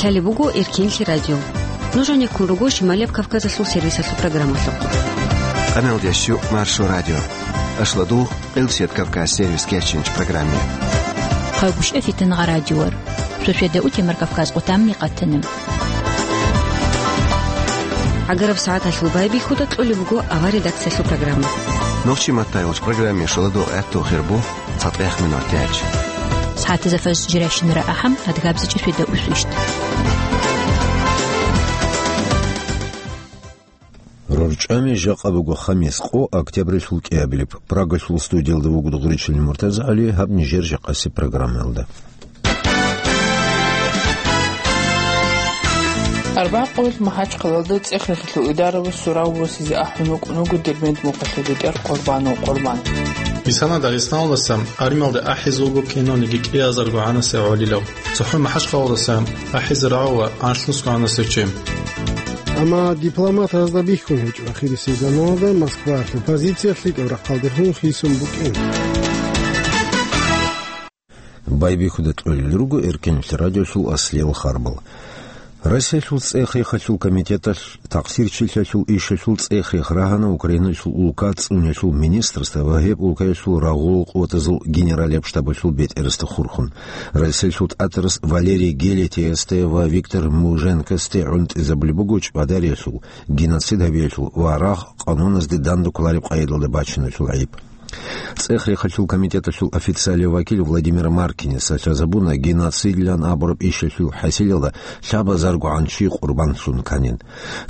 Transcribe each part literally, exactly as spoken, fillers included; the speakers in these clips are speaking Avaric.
Лъалеб буго Эркенлъи радио. Нуж гьанеккун руго Шималияб Кавказалъул сервисалъул программалъухъ. Къаналдияс щу Маршо радио. Ашладул Къилсият Кавказ сервис кечинч программе. Хъагушев Фитнагъа радиор. Суседа утемар Кавказ къутамни къатана. ГӀагараб сагӀаталъул байбихьуда кьолеб буго авар редакциялъул программа. Нохчи маттайгъуч программе шоладул гӀатту хирбу цатӀех минут тяч. СагӀатазда фаз жиращинара ахӀам, адгабзичӀи суседа усвищт. РорчӀами жакъа буго хамис къо, октябрилъул кӀиабилеб. Прагалъул студиялда вуго Дугъричилин МуртазагӀали, гьаб нижер жакъасеб программаялда. Арбякъуялъ МахӀачхъалалда цӀех-рехилъул идарабас сурав восизе ахӀун вукӀун вуго Дербент мухъалъул бетӀер Къурбанов Къурбан. Мисана Дагъистаналдаса армиялда ахӀизе вуго кинониги кӀиазарго гӀанасев гӀолилав. ЦохӀо МахӀачхъалалдаса ахӀизе рагӀула анлънусго гӀанасев чи. Амма дипломатазда бихьун гьечӀо ахирисеб заманалда Москваялъул позициялъ лъикӀаб рахъалдехун хисун букӀин. Байбихьуда кьолел руго Эркенлъи радиолъул аслиял харбал. Россиялъул цӀех-рехалъул комитеталъ такъсирчилъиялъул ишалъул цӀех-рех рагьана Украиналъул улка цӀунялъул министрасда ва гьеб улкаялъул рагъул къуватазул генералияб штабалъул бетӀерасда хурхун. Россиялъул тӀатарас Валерий Гелетеевасде ва Виктор Муженкосде гӀунтӀизабулеб буго чӀвадариялъул, геноцид гьабиялъул ва рагъ къануназде данде кколареб къайдалда бачиналъул гӀайиб. ЦӀех-рехалъул комитеталъул официалияв вакил Владимир Маркинис лъазабуна, геноцидлъан абураб ишалъул хӀасилалда лъабазаргогӀан чи къурбанлъун кканин.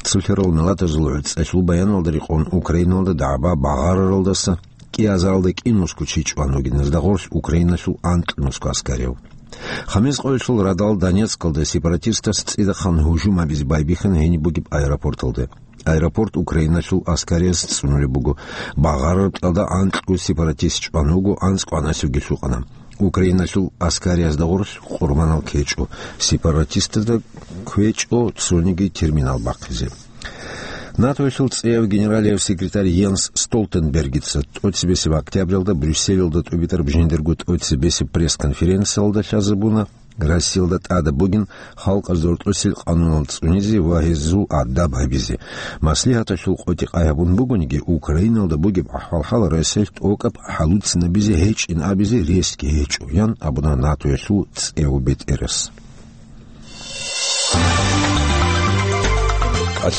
Цолъарал миллатазул гӀуцӀалъул баяналда рекъон Украиналда дагӀба багъараралдаса кӀиазаралда кӀинусго чи чӀван вугин, гьезда гъорлъ Украиналъул анкьнусго аскарияв. Хамис къоялъул радал Донецкалда сепаратистас цӀидахъан гьужум гьабизе байбихьана гьениб бугеб аэропорталда. Аэропорт Украиналъул аскарияс цӀунулеб буго. Багъараб кьалда анкьго сепаратист чӀван вуго, анцӀго гӀанасевги лъукъана. Украиналъул аскариясда гъорлъ къурбанал ккечӀо, сепаратистазда кквечӀо цониги терминал бахъизе. НАТОялъул цӀеяв генералияв секретарь Йенс Столтенбергица тӀоцебесеб октябралда Брюсселалда тӀубитӀараб жиндирго тӀоцебесеб пресс-конференциялда лъазабуна, Россиялда тӀадаб бугин халкъазда гьоркьосел къанунал цӀунизе ва гьезул адаб гьабизе. Маслигьаталъул къотӀи-къай гьабун бугониги, Украиналда бугеб ахӀвал-хӀал Россиялъ тӀокӀаб хӀалуцинабизе гьечӀин абизе ресги гьечӀо, ян абуна НАТОялъул цӀеяв бетӀерас.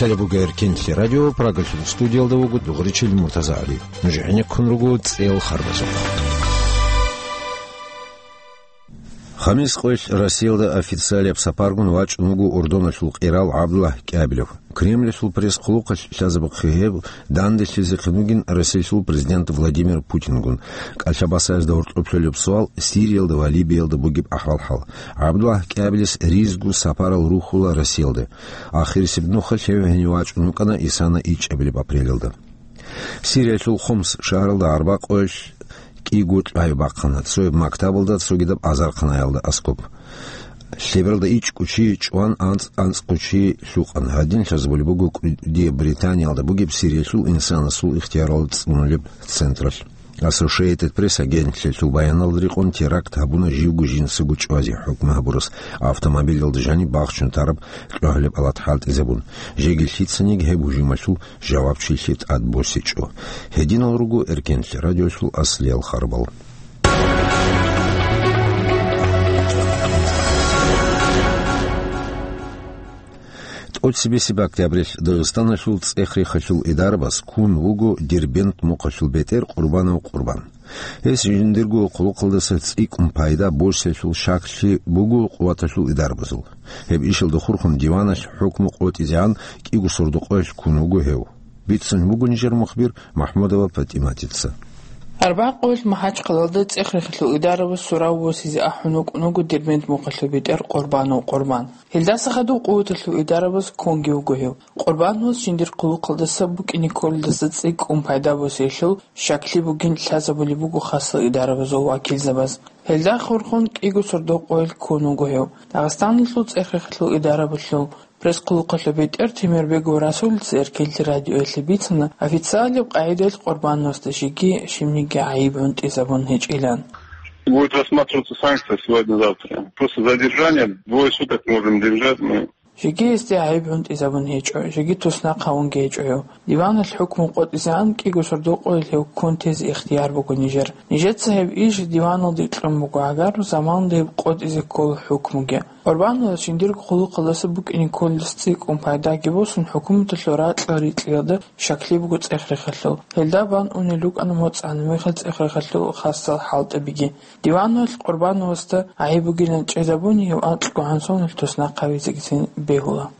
Лъалеб буго Эркенлъи радио, Прагалъул студиялда вуго Дугъричил МуртазагӀали. Нуж гӀенеккун руго цӀеял харбазухъ. Хамис къоялъ Россиялда официалияб сапаргун вачӀун вуго Урдуналъул къирал ГӀабдуллагь КӀиабилев. Кремльалъул пресс-хъулухъалъ лъазабухъе гьеб данделъизехъин вугин Россиялъул президент Владимир Путингун. КӀалъабасаязда гьоркьоб лъолеб суал Сириялда ва Либиялда бугеб ахӀвал-хӀал. ГӀабдуллагь КӀиабилес ризго сапарал рухьула Россиялде. Ахирисеб нухалъ гьев гьенив вачӀун вукӀана исана ичӀабилеб апрелалда. Сириялъул Хомс шагьаралда арбякъуялъ кӀиго кьвай бахъана, цояб мактабалда, цогидаб азарханаялда аскӀоб. Лъебералда ичӀго чи чӀван, анцӀ-анцӀго чи лъукъана. Гьадин лъазабулеб буго кӀудияб Британиялда бугеб Сириялъул инсанасул ихтияралда цӀунулеб централъ. Associated Press агентлъиялъул баяналда рекъон теракт гьабуна живго жинцаго чӀвазе хӀукму гьабурас, автомобилалда жаниб бахчун тараб кьогьалеб алат хӀалтӀизабун. Жеги лъицаниги гьеб гьужумалъул жавабчилъи тӀад босичӀо. Гьединал руго Эркенлъи радиолъул аслиял харбал. ТӀоцебесеб октябрилъ Дагъистаналъул цӀех-рехалъул идарабас ккун вуго Дербент мухъалъул бетӀер Къурбанов Къурбан. Гьес жиндирго хъулухъалдаса цӀикӀкӀун пайда босиялъул щаклъи буго къуваталъул идарабазул. Гьеб ишалда хурхун диваналъ хӀукму къотӀизегӀан кӀиго сордо-къоялъ ккун вуго гьев. Бицун буго нижер мухбир МахӀмудова ПатӀиматица. Арбякъуялъ МахӀачхъалалда цӀех-рехалъул идарабас сурав восизе ахӀун вукӀун вуго Дербент мухъалъул бетӀер Къурбанов Къурбан. Гьелдаса хадуб къуваталъул идарабаз ккунги вуго гьев. Къурбановас жиндир хъулухъалдаса букӀине кколелдаса цӀикӀкӀун пайда босиялъул щаклъи бугин лъазабулеб буго хасал идарабазул вакилзабаз. Гьелда хурхун кӀиго сордо-къоялъ ккун вуго гьев. Дагъистаналъул цӀех-рехалъул идарабалъул пресс-хъулухъалъул бетӀер Темирбегов Расулица Эркенлъи радиоялъе бицана, официалияб къагӀидаялъ Къурбановасда жеги щибниги гӀайиб гӀунтӀизабун гьечӀилан. Будет рассматриваться санкция сегодня-завтра. Просто задержание, двое суток можем держать мы. Жеги гьесде гӀайиб гӀунтӀизабун гьечӀо, жеги туснахъ гьавунги гьечӀо гьев. Диваналъ хӀукму къотӀизегӀан кӀиго сордо къоялъ гьев ккун тезе ихтияр буго нижер. Нижеца гьеб иш диваналде кьун буго, гьагар заманалда гьеб къотӀизе ккола хӀукмуги. Къурбановас жиндирго хъулухъалдаса букӀине кколелъ цӀикӀкӀун пайдаги босун, хӀукуматалъул ракьал рикьиялда щаклъи буго цӀех-рехалъул. Гьелда бан унел рукӀана моцӀ гьанамихал цӀех-рехалъул хасал хӀалтӀабиги. Диваналъ Къурбановасда гӀайиб бугилан чӀезабуни, гьев анкьго гӀан соналъ туснахъ гьавизегицин бегьула.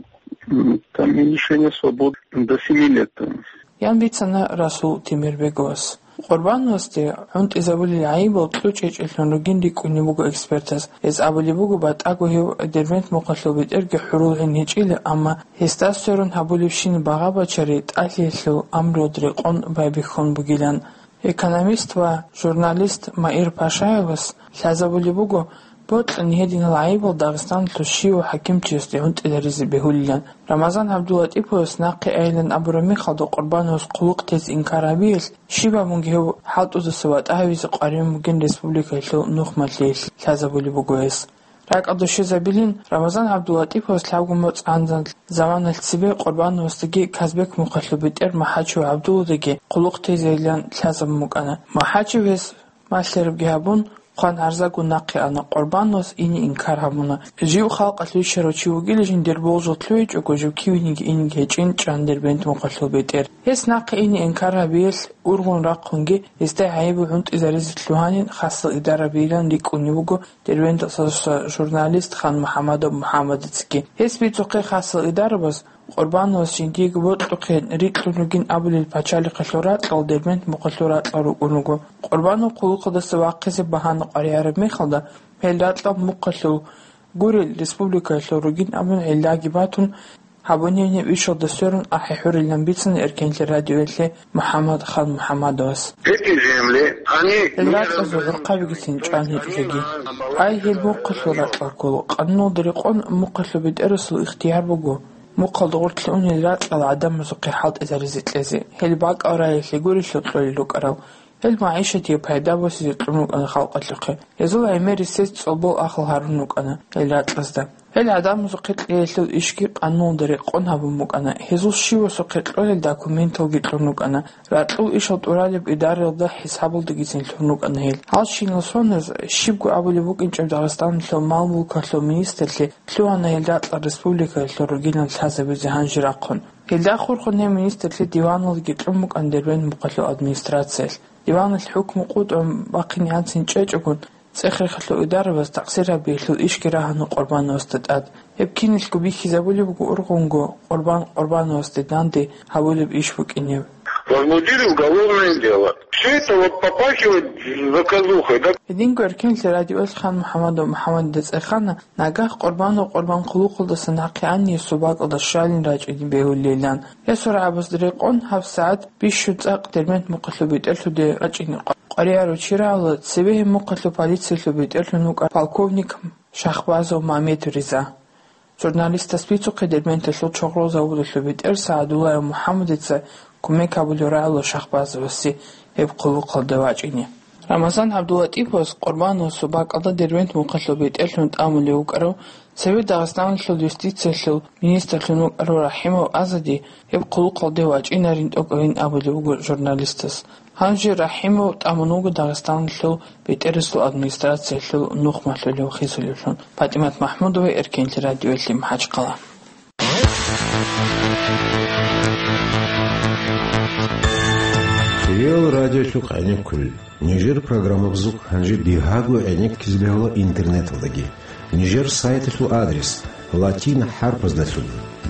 М, там лишение свободы до семи лет. Ян бицана Расул Темирбеговас. Къурбановасде гӀунтӀизабулел гӀайибал кьучӀечӀелъун ругин рикӀкӀунеб буго экспертаз. Гьез абулеб буго, батӀаго гьев Дербент мухъалъул бетӀерги хӀурулгӀин гьечӀила, амма гьесда сверун гьабулебщин багъа-бачари тӀалъиялъул амруялда рекъон байбихьун бугилан. Экономист ва журналист Маир Пашаевас лъазабулеб буго, бокьани гьединал гӀайибал Дагъистаналъул щивав хӀакимчиясде гӀунтӀизаризе бегьулилан. Рамазан ГӀабдуллатӀиповас нахъе айилан абураб мехалда Къурбановас хъулухъ тезе инкар гьабиялъ, щиб гьабунги гьев хӀалтӀудаса ватӀа гьавизе къваригӀун бугин республикаялъул нухмалъиялъ лъазабулеб буго гьес. РакӀалда щвезабилин, Рамазан ГӀабдуллатӀиповас лъабго моцӀ гӀанзан заманалъ цебе Къурбановасдаги Казбек мухъалъул бетӀер МахӀачев ГӀабдулладаги хъулухъ тезейилан лъазабун букӀана. МахӀачев гьес малъарабги гьабун, хъван-гӀарзаго нахъе ана, Къурбановас ине инкар гьабуна. Жив халкъалъ вищарав чи вугила, жиндир болжал лъугьичӀого, жив кивениги инеги гьечӀин чӀан Дербент мухъалъул бетӀер. Гьес нахъе ине инкар гьабиялъ ургъун рахъунги, гьесда гӀайибал гӀунтӀизаризе лъугьанин хасал идарабийилан рикӀкӀунеб буго Дербенталъуса журналист Хан МухӀамадов МухӀамадицаги. Гьес бицухъе хасал идарабаз Къурбановас жиндиего бокьухъе рикьун ругин абулел пачалихъалъул ракьал Дербент мухъалъул ракьал рукӀун руго. Къурбанов хъулухъалдаса вахъизе багьана къваригӀараб мехалда, гьел ракьал мухъалъул гурел республикаялъул ругин абун гӀиллаги батун, гьабунеб ишалда сверун ахӀи-хӀурилан бицана Эркенлъи радиоялъе МухӀаммад Хан МухӀаммадовас. Эти земли, они... Гьел ракьазул гӀурхъабигицин чӀван гьечӀо жеги. Ай, гьел мухъалъул ракьал ккола, къануналда рекъон мухъалъул бетӀерасул ихтияр буго мухъалда гъорлъе унел ракьал гӀадамазухъе хӀалтӀизаризе кьезе, гьел бакӀал раялъе гурелъул кьолел рукӀарал. Гьел магӀишатие пайда босизе кьун рукӀана халкъалъухъе. Гьезул гӀемер ресес цӀолбол ахал гьарун рукӀана гьел ракьазда. Гьел гӀадамазухъе кьеялъул ишги къануналда рекъон гьабун букӀана, гьезул щивасухъе кьолел документалги кьун рукӀана, ракьул ишал тӀуралеб идараялда хӀисабалдагицин лъун рукӀана гьел. Гьалщинал соналъ щибго абулеб букӀинчӀеб Дагъистаналъул мал-мулкалъул министрлъи лъугьана гьел ракьал республикаялъул ругилан лъазабизе гьанже рахъун. Гьелда хурхун гьеб министрлъи диваналги кьун букӀана Дербент мухъалъул администрациялъ. Диваналъ хӀукму къотӀун бахъинегӀанцин чӀечӀогун, цӀех-рехалъул идарабаз такъсир гьабиялъул ишги рагьана Къурбановасда тӀад. Гьеб киналго бихьизабулеб буго ургъунго Къурбан Къурбановасде данде гьабулеб иш букӀинеб. Возбудили уголовное дело. Всё это вот попахивает заказухой, да? Гьединго Эркенлъи радиоялъ Хан МухӀаммадов МухӀаммадида цӀехана, нагагь Къурбанов Къурбан хъулухъалдаса нахъе ани гьесул бакӀалда щвалин рачӀине бегьулилан. Гьесул рагӀабазда рекъон гьабсагӀат бищун цӀакъ Дербент мухъалъул бетӀерлъуде вачӀине къваригӀарав чи рагӀула, цебе гьеб мухъалъул полициялъул бетӀерлъун вукӀарав полковник Шахбазов Мамед Риза. Журналистас бицухъе Дербенталъул чорхол заводалъул бетӀер СагӀдуллаев МухӀаммадица кумек гьабулев рагӀула Шахбазовасе гьеб хъулухъалде вачӀине. Рамазан ГӀабдуллатӀиповас Къурбановасул бакӀалда Дербент мухъалъул бетӀерлъун тӀамулев вукӀарав цеве Дагъистаналъул юстициялъул министрлъун вукӀарав РахӀимов Азади гьеб хъулухъалде вачӀинарин тӀокӀабин абулеб буго журналистас. Гьанже РахӀимов тӀамун вуго Дагъистаналъул бетӀерасул администрациялъул нухмалъулев хисулевлъун. ПатӀимат МахӀмудова, Эркенлъи радиоялъе, МахӀачхъала. Реал радиолъухъ гӀенеккулел. Нижер программабазухъ гьанже бигьаго гӀенеккизе бегьула интернеталдаги. Нижер сайталъул адрес: латин хӀарпаздалъун: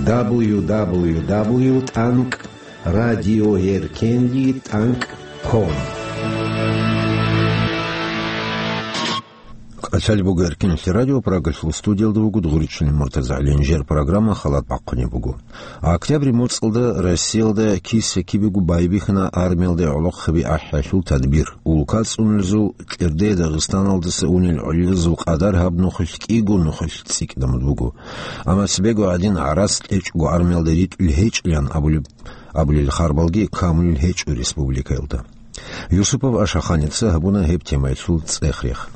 дабл ю дабл ю дабл ю тӀанкӀ радиоеркенлъи тӀанкӀ ком. КӀалъалеб буго Эркенлъи радио, Прагалъул студиялда вуго Дгъуричилин МуртазагӀилин. Нижер программа халат бахъунеб буго. Октябрь моцӀалда Россиялда киса-кибего байбихьана армиялда гӀолохъаби ахӀиялъул тадбир. Улка цӀунулезул кӀирде Дагъистаналдаса унел гӀолилазул къадар гьаб нухалъ кӀиго нухалъ цӀикӀкӀун буго. Амма цебего гӀадин гӀарац кьечӀого армиялда ритӀулел гьечӀилан абулеб, абулел харбалги камулел гьечӀо республикаялда. Юсупов Ашаханица гьабуна гьеб темаялъул цӀех-рех.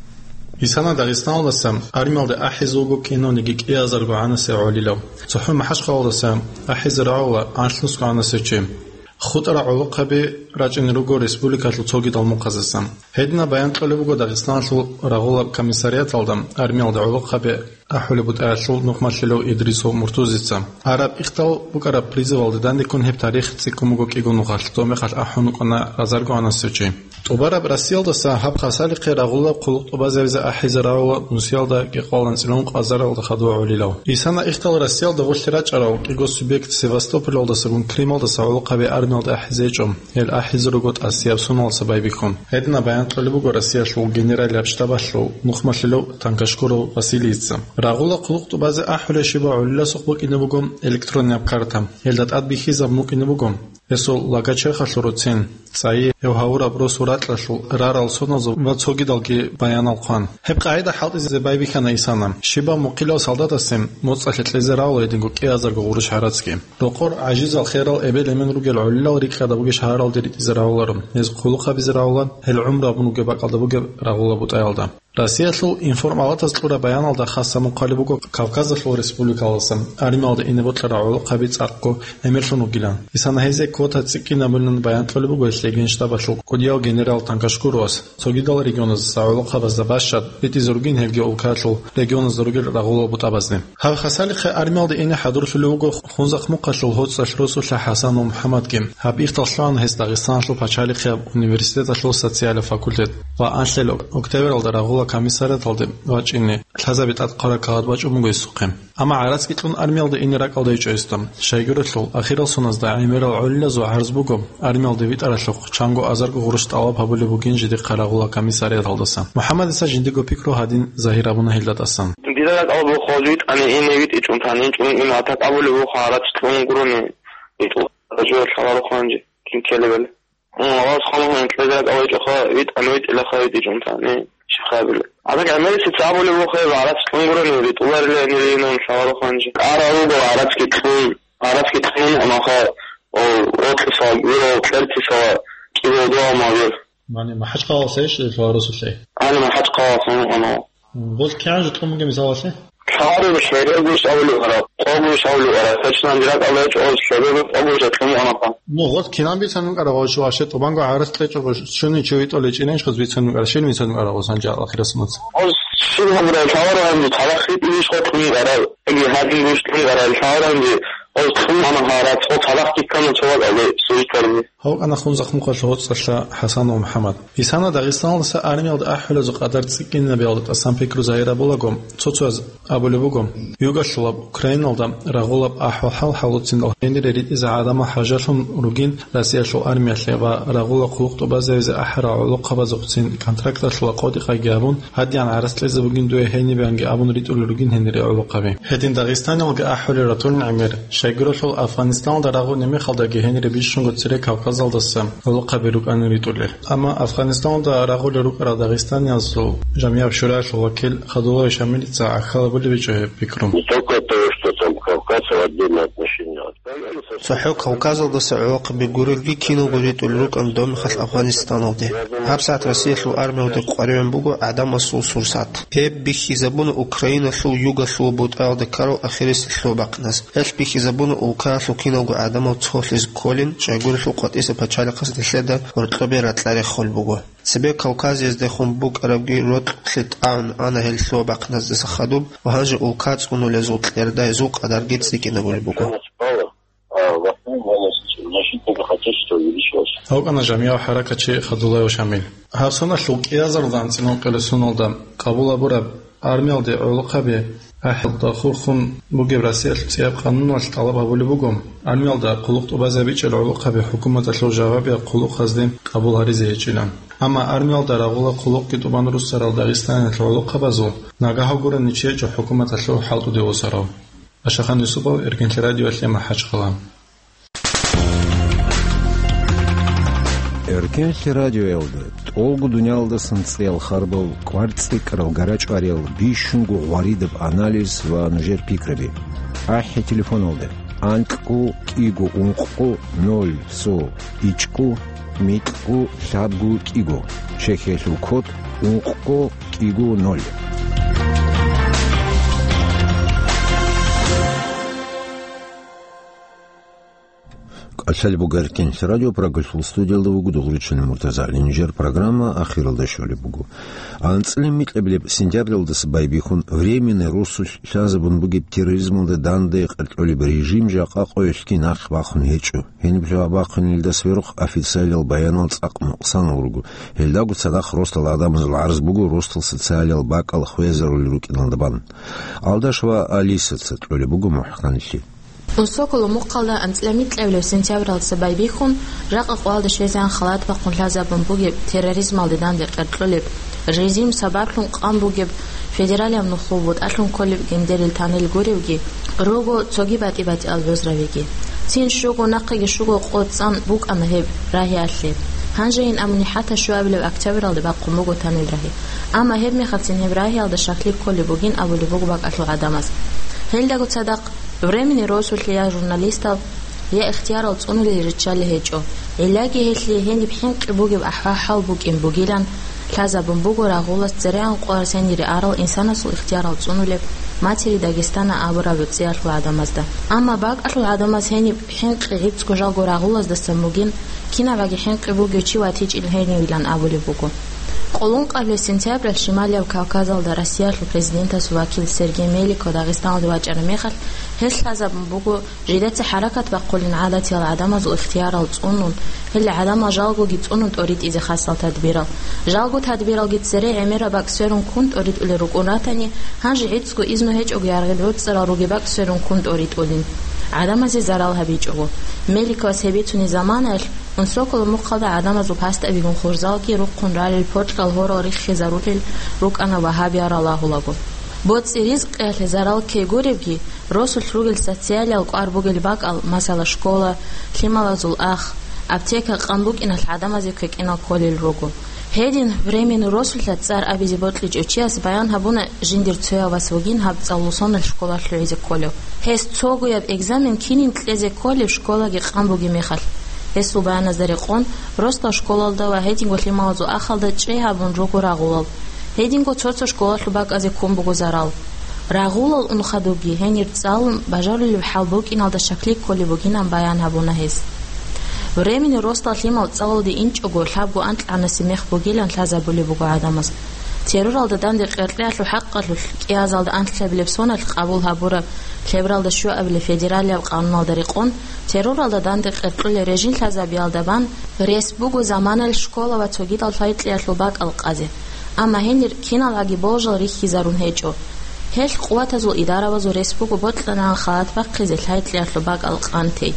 Исана Дагъистаналдаса армиялде ахӀизе вуго кинавниги кӀиазарго гӀанасев гӀолилав. ЦохӀо МахӀачхъалаялдаса ахӀизе рагӀула анлънусго гӀанасев чи. ХутӀарал гӀолохъаби рачӀине руго республикалъул цогидал мухъазасан. Гьединаб баян кьолеб буго Дагъистаналъул рагъулаб комиссариаталда армиялде гӀолохъаби ахӀулеб бутӀаялъул нухмалъилев Идрисов Муртузица. Араб ихтал букӀараб призывалде дандеккун гьеб тарих цӀикӀкӀун буго кӀиго нухалъ, доб мехалъ ахӀун вукӀана разарго гӀанасев чи. ТӀубараб Россиялдаса гьаб хасалихъе рагъулаб хъулухъ тӀубазабизе ахӀизе рагӀула нусиялда гьекъолан цӀилун къазаралда хадув гӀолилав. Исана ихтал Россиялда гъулъи рачӀарал кӀиго субъект Севастополалдасагун Крымалдаса гӀолохъаби армиялда ахӀизе гьечӀо. Гьел ахӀизе руго тӀасияб соналдаса байбихьун. Гьединаб баян кьолеб буго Россиялъул генералияб штабалъул нухмалъилев Танкашкуров Василийица. Рагъула хъулухъ тӀубазе ахӀулей щибаб гӀолиласухъ букӀине буго электроннияб карта. Гьелда тӀад бихьизабун букӀине буго гьесул лагочерхалъул руцин, цӀайи, гьев гьавураб росу-ракьалъул рарал соналзул ва цогидалги баянал хъван. Гьеб къагӀида хӀалтӀизе байбихьана Исана. Щибаб мухъилав солдатасе моцӀалъе кьезе рагӀула гьединго кӀиазарго гъурущ гӀарацги. Рокъор гӀажизал херал эбел-эмен ругел гӀолилал рикӀкӀад бугищ гьаралде ритӀизе рагӀуларо, гьез хъулухъ гьабизе рагӀула, гьел гӀумру абун вугеб бакӀалда бугеб рагъула бутӀаялда. Россиялъул информалатаз кьураб баяналда хасаб мухъали буго Кавказалъул республикаласан армиялда ине бокьарал гӀолохъаби цӀакъго гӀемерлъун вугилан. Исана гьезие квота цӀикӀкӀинабулин баян кьолеб буго гьелъие генштабалъул кӀудияв генерал Танкашкуровас. Цогидал регионаздаса гӀолохъабазда бащад ритӀизе ругин гьелги улкаялъул регионазда ругел рагъулал бутӀабазде. Гьаб хасалихъе армиялде ине хӀадурлъулев вуго Хунзахъ мухъалъул ГьоцӀалъ росулъа ХӀасан МухӀаммадги. Гьаб ихтал лъугӀана гьес Дагъистаналъул пачалихъияб университеталъул социалияб факультет ва анлъел октябралда рагъула комиссариаталде вачӀине лъазабе тӀад хъвараб кагъат бачӀун буго гьесухъе. Амма гӀарацги кьун армиялде ине ракӀалда гьечӀо гьесда. Щайгурелъул, ахирал соназда гӀемерал гӀолилазул гӀарз буго армиялде витӀаралъухъ чанго азарго гъурущ тӀалаб гьабулеб бугин жидехъа рагъула комиссариаталдаса. МухӀаммадица жиндиго пикру гьадин загьир гьабуна гьелда тӀасан. Дида ракӀалда бухъ витӀани ине витӀичӀун тани, инчӀун ине атак абулеб буго гӀарац кьун гурони. ВитӀула, гьаб жо лъаларо хъанжи, кин ккелебали. М, вас хъана хъана кьезе ракӀалда гьечӀоха, витӀани витӀилаха витӀичӀун тани, щихъабила. Атак гӀемерисеца абулеб буго гьеб гӀарац кьун гурони, витӀуларила гьенир инун лъаларо хъанжи. КӀарал руго гӀарацги кьун, гӀарацги кьун, амма ха, о, рокьиса, виро, кьертиса, кӀиго дугьал магӀир. Мани, МахӀачхъалалъейищ лъугьа росулъей? Гьаниб МахӀачхъалалъ гьанив гьанав. М, гъоз кигӀан жо кьун бугеб мисалалъе? Лъагьарил лъебе гуш абулев вара, къо гуш абулев вара, точно дирак абулев чӀоз лъебе гуш къо гуш кьун вукӀанаха. Ну, гъоз кинан бицан вукӀарав, гъоз ваще тӀубанго гӀарас кьечӀого щуни чи витӀулей чӀинайищ гъоз бицан вукӀарав, щин бицан вукӀарав гъоз гьанже ахирасумаца? Гъоз щиб гьабурай, лъагьарал гьанже цалахъ ритӀинищ къо кьун вукӀарав, яги гьадин гуш кьун вукӀарав, лъагьарал гьанже гъоз кьун ана гьарацӀо цалахъ киккана цо вакӀалде, сужитарни. Гьав вукӀана Хунзахъ мухъалъул ГьоцӀалъа ХӀасанов МухӀаммад. Исана Дагъистаналдаса армиялда ахӀулазул къадар цӀикӀкӀинабиялда тӀасан пикру загьир гьабулаго, цо-цояз абулеб буго, югалъулаб Украиналда рагъулаб ахӀвал-хӀал хӀалуцин гьенире ритӀизе гӀадамал хӀажалъун ругин Россиялъул армиялъе ва рагъула хъулухъ тӀубазабизе ахӀарал гӀолохъабазухъцин контракталъула къотӀи-къайги гьабун, гьадигӀан гӀарац кьезе бугин дуе гьенибеянги абун ритӀулел ругин гьенире гӀолохъаби. Гьедин Дагъистаналги ахӀулел ратулин гӀемер. Щайгурелъул Афгъанистаналда рагъуни мехалдаги гьенире бищунго цере Кавказалдаса гӀолохъаби рукӀанин ритӀулел. Амма Афгъанистаналда рагъулел рукӀарал дагъистаниязул жамигӀаб шураялъул вакил Хадулаев Шамилица гӀахьал абулеб гьечӀо гьеб пикру. Не только то, что там Кавказ в отдельное отношение. ЦохӀо Кавказалдаса гӀолохъаби гурелги киналго ритӀулел рукӀана доб мехалъ Афгъанистаналде. ГьабсагӀат Россиялъул армиялде къваригӀун буго гӀадамасул сурсат. Гьеб бихьизабуна Украиналъул югалъул бутӀаялда ккарал ахирисел лъугьа-бахъиназ. Гьелъ бихьизабуна улкаялъул киналго гӀадамал цолъизе кколин, щайгурелъул къватӀиса пачалихъас нилъеда гьоркьобе ракьа реххулеб буго. Цебе Кавказиязде хун букӀарабги рокьулъе тӀагӀун ана гьел лъугьа-бахъиназдаса хадуб ва гьанже улка цӀунулезул кьердайзул къадарги цӀикӀкӀинабулеб буго. А в основном у нас значительно богатейство увеличилось. Гьав вукӀана жамигӀав хӀаракатчи Хадулаев Шамил. Гьаб соналъул кӀиазарилан анцӀила ункъоялда къабул гьабураб армиялде гӀолохъаби ахӀиялда хурхун бугеб Россиялъул цӀияб къануналъ тӀалаб гьабулеб буго, армиялда хъулухъ тӀубазабичӀел гӀолохъаби хӀукуматалъул жавабияб хъулухъазде къабул гьаризе гьечӀилан. Амма армиялда рагъула хъулухъги тӀубан руссарал Дагъистаниялъул гӀолохъабазул нагагь гурони чи гьечӀо хӀукуматалъул хӀалтӀуде восарав. Ашахан Юсупов, Эркенлъи радиоялъе, МахӀачхъала. Эркенлъи радиоялда тӀолго дуниялдасан цӀеял харбал, кӀвар цӀикӀкӀарал, гара чӀвариял, бищунго гъваридаб анализ ва нужер пикраби. АхӀи телефоналда: анкьго кӀиго ункъго ноль цо ичӀго микьго лъабго кӀиго, Чехиялъул код ункъго кӀиго ноль. КӀалъалеб буго Эркенлъ радио, Прагалъул студиялда вуго Дугъричилан Муртазагьлин. Нижер программа ахиралде щолеб буго. АнцӀила микьабилеб сентябралдаса байбихьун временный росулъ лъазабун бугеб терроризмалда данде къеркьолеб режим жакъа къоялъги нахъ бахун гьечӀо. Гьениб лъугьа-бахъунелдаса верухъ официалиял баянал цӀакъ нукъсанал руго. Гьелдаго цадахъ росдал гӀадамазул гӀарз буго росдал социалиял бакӀал хвезарулел рукӀиналда бан. Алдаш ва Алисаца кьолеб буго мухӀканлъи. Унсоколо мухъалда анцӀила микьабилеб сентябралдаса байбихьун, жакъа къоялда щвезегӀан халат бахъун лъазабун бугеб терроризмалде данде къеркьолеб режим сабаблъун къан бугеб федералияб нухлу бутӀалъун кколеб гендерил танил гуревги, руго цоги батӀи-батӀиял гӀузравиги. Цин щуго, нахъеги щуго къо цӀан букӀана гьеб рагьиялъе. Гьанжейин абуни хӀатта щуабилеб октябралде бахъун буго танил рагьи. Амма гьебмехалцин гьеб рагьиялда щаклъи кколеб бугин абулеб буго бакӀалъул гӀадамаз. Гьелдаго цадахъ временный росулъе я журналистал, я ихтиярал цӀунулел риччалел гьечӀо. Гьелъаги гьелъие гьениб хӀинкъи бугеб ахӀвал-хӀал букӀин бугилан лъазабун буго рагъулас церегӀан къоялъ гьенире арал инсанасул ихтиярал цӀунулеб «Матери Дагестана» абураб гӀуцӀиялъул гӀадамазда. Амма бакӀалъул гӀадамаз гьениб хӀинкъи гӀицӀго жалго рагъулаздасан бугин, кинабаги хӀинкъи бугев чи ватичӀин гьенивилан абулеб буго. Къоло ункъабилеб сентябралъ Шималияб Кавказалда Россиялъул президентасул вакил Сергей Меликов Дагъистаналде вачӀараб мехалъ, гьелъ лъазабун буго жидеца хӀаракат бахъулин гӀадатиял гӀадамазул ихтиярал цӀунун, гьел гӀадамал жалгоги цӀунун тӀоритӀизе хасал тадбирал. Жалго тадбиралги цере гӀемераб бакӀ сверун ккун тӀоритӀулел рукӀун ратани, гьанже гӀицӀго изну гьечӀого яргъил гӀуцӀарал ругеб бакӀ сверун ккун тӀоритӀулин, гӀадамазе зарал гьабичӀого. Меликовас гьеб бицунеб заманаялъ, Унсоколо мухъалда гӀадамазул пастабигун хурзалги рухъун ралел портал гьорал риххизарулел рукӀана вагьабиял ралагьулаго. БоцӀи-ризкъиялъе зарал ккей гуребги, росулъ ругел социалиял кӀвар бугел бакӀал, масала, школа, лъималазул ах, аптека къан букӀиналъ гӀадамазе квекӀинал кколел руго. Гьедин временный росулъа цӀар абизе бокьичӀев чияс баян гьабуна, жиндир цояв вас вугин гьаб цӀалулсонал школалъ лъугӀизе кколев. Гьес цогояб экзамен кинин кьезе кколеб школаги къан бугеб мехалъ. Гьесул баяназда рекъон, росдал школалда ва гьединго лъималазул ахалда чӀей гьабун руго рагъулал. Гьединго цо-цо школалъуб бакӀазе ккун буго зарал. Рагъулал ун хадубги, гьенир цӀалун, бажарулеб хӀал букӀиналда щаклъи кколеб бугинан баян гьабуна гьес. Временный росдал лъимал цӀалулде инчӀого лъабго анкьанасеб мех бугилан лъазабулеб буго гӀадамаз. Терроралда данде къеркьеялъул хӀакъалъулъ кӀиазалда анлъабилеб соналъ къабул гьабураб лъебралда щуабилеб федералияб къануналда рекъон, терроралда данде къеркьулел режим лъазабиялда бан рес буго заманаялъ школа ва цогидал лъай-кьеялъул бакӀал къазе. Амма гьенир киналгӀаги болжал рихьизарун гьечӀо. Гьелъ къуватазул идаравазул рес буго бокьанагӀан халат бахъизе лъай-кьеялъул бакӀал къан тей.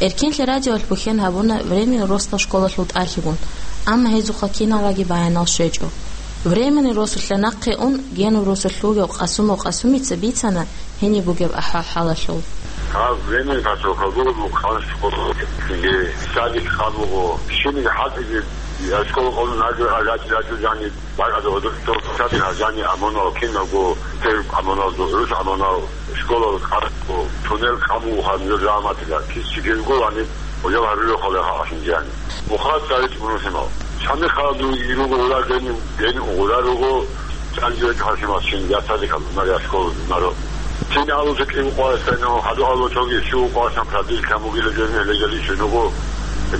Эркенлъи радиоялъ бухьен гьабуна временный росдал школалъул тӀалъигун, амма гьезухъа киналгӀаги баянал щвечӀо. Временный росулъа нахъе ун, генул росулъ вугев Къасумов Къасумица бицана гьениб бугеб ахӀвал-хӀалалъул. Гьаб временный поселок буго, къан школа, садик къан буго, щибниги хӀалтӀизе, я школа къон нагагь гьачӀи-гьачӀи жаниб. Бакъ гьадур гьадур цо саби гьажани амунал киналго, тев амунал, дугӀрус амунал, школал къаркъу, тунел къамуха нур раматила, кис чигелго вани, гъожал гьарулел хъалаха ахинжани. Мухад царит унусимал. Чами хала ду ируго ура гени, гени угъура руго, чанжи век хашимал чин, я садик амунал, я школа маро. Тин алу зекъи укъуа стайно, хаду алу чоги, шу укъуа сан прадил камугила гени, легали шинуго,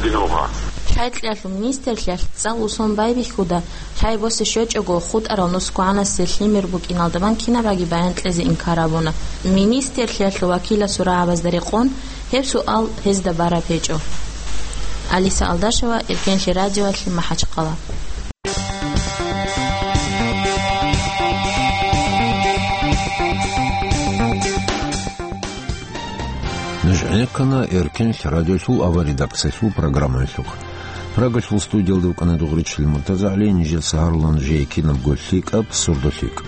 динуха. Лъай-кьеялъул министрлъиялъ цӀал усон байбихьуда, лъай босе щвечӀого, хутӀарал нусгогӀанасе лъимер букӀиналда бан кинабаги баян кьезе инкар абуна. Министрлъиялъул вакиласул рагӀабазда рекъон, гьеб суал гьезда бараб гьечӀо. Алиса Алдашева, Эркенлъи радиоялъе, МахӀачхъала. Нуж гӀенеккана Эркенлъ радиолъул аварредакциялъул программаялъухъ. Прагалъул студиялда вукӀана Дугъричил Муртазагьли, нижеца гьарулан жеги кинабго лъикӀаб, сурдо лъикӀ.